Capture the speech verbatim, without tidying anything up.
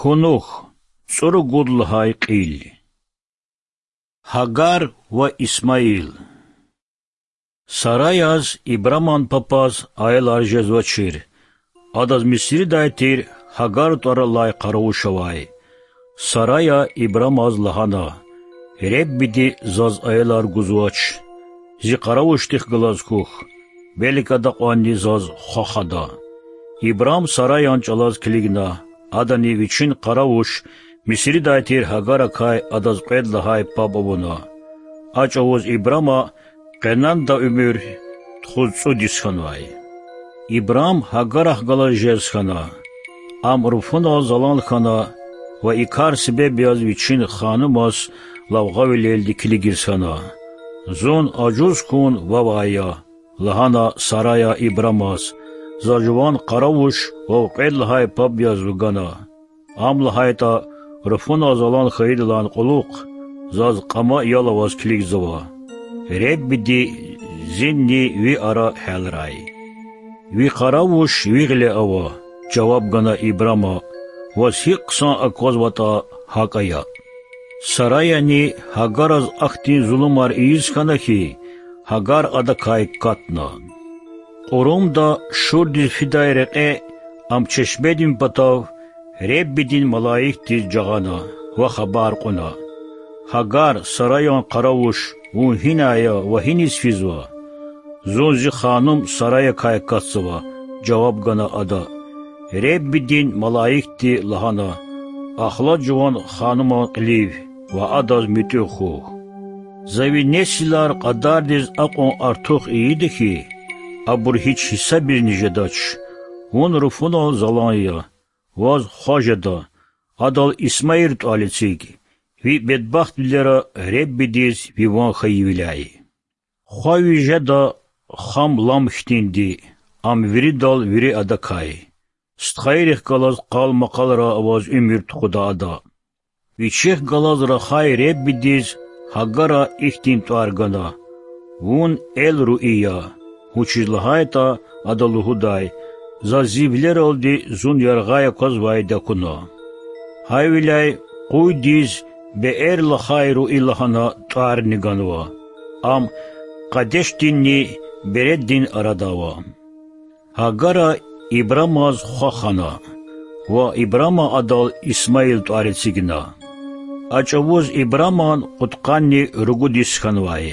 Кунух, цӀуругуд лагьай кьил. Гьагар ва Исмаил. Сараяз, Ибраман папаз, аялар жезвачир. Адаз Мисридай тир Гьагар тӀвар алай къаравуш авай. Сарая Ибрамаз лагьана: Реббиди заз аялар гузвач. Зи къаравушдихъ галаз хьухь, белки адакьванни заз хва хада. Ибрам Сараян чӀалаз килигна, адани вичин къаравуш, Мисридай тир Гьагаракай адаз кьвед лагьай паб авуна. А чӀавуз Ибрама къенанда уьмуьр тухуз цӀуд йис хьанвай. Ибрам Гьагарахъ галаз жез хьана. Ам руфунал залан хьана ва и кар себеб яз вичин ханумаз лавгъавилелди килигиз хьана. Зун ажуз хьун вавай я,— лагьана Сарая Ибрамаз,— за жуван къаравуш вав кьвед лагьай паб яз вугана. Ам лагьайтӀа, руфунал залан хьайидалайни кьулухъ заз кьама ял аваз килигзава. Реббиди зинни ви ара гьялрай. Ви къаравуш ви гъиле ава,— жаваб гана Ибрама,— ваз гьикӀ хъсан аквазватӀа, гьакӀ ая. Сараяни Гьагараз ахьтин зулумар ийиз хьана хьи, Гьагар адакай катна. Кьурумда Шурдиз фидай рекье ам чешмедин патав Реббидин малаикдиз жагъана ва хабар кьуна: Гьагар, Сараян къаравуш, вун гьинай я ва гьиниз физва? Зун зи ханум Сараякай катзава,— жаваб гана ада. Реббидин малаикди лагьана: Ахлад жуван хануман кьилив ва адаз муьтӀуьгъ хьухь. За ви несилар кьадардиз акьван артух ийида хьи, абур гьич гьисабизни жедач. Вун руфунал залан я, ваз хва жеда, адал Исмаил тӀвал эциг, ви бедбахтвилера Реббидиз ви ван хьайивиляй. Хва ви жеда хам лам хьтинди, ам виридал вири адакай. Стхайрихъ галаз къал-макъалра аваз уьмуьр тухуда ада. Вичихъ галаз рахай Реббидиз Гьагара ихьтин тӀвар гана: Вун Эл-Руи я, вучиз лагьайтӀа ада лугьудай: Заз зи вилералди зун яргъай аквазвайди акуна. Гьавиляй къуйдиз Беэр-Лахай-Руи лагьана тӀварни ганва. Ам Къадешдинни Береддин арада ава. Гьагара Ибрамаз хва хана ва Ибрама адал Исмаил тӀвар эцигна. А чӀавуз Ибраман кьудкъанни ругуд йис хьанвай.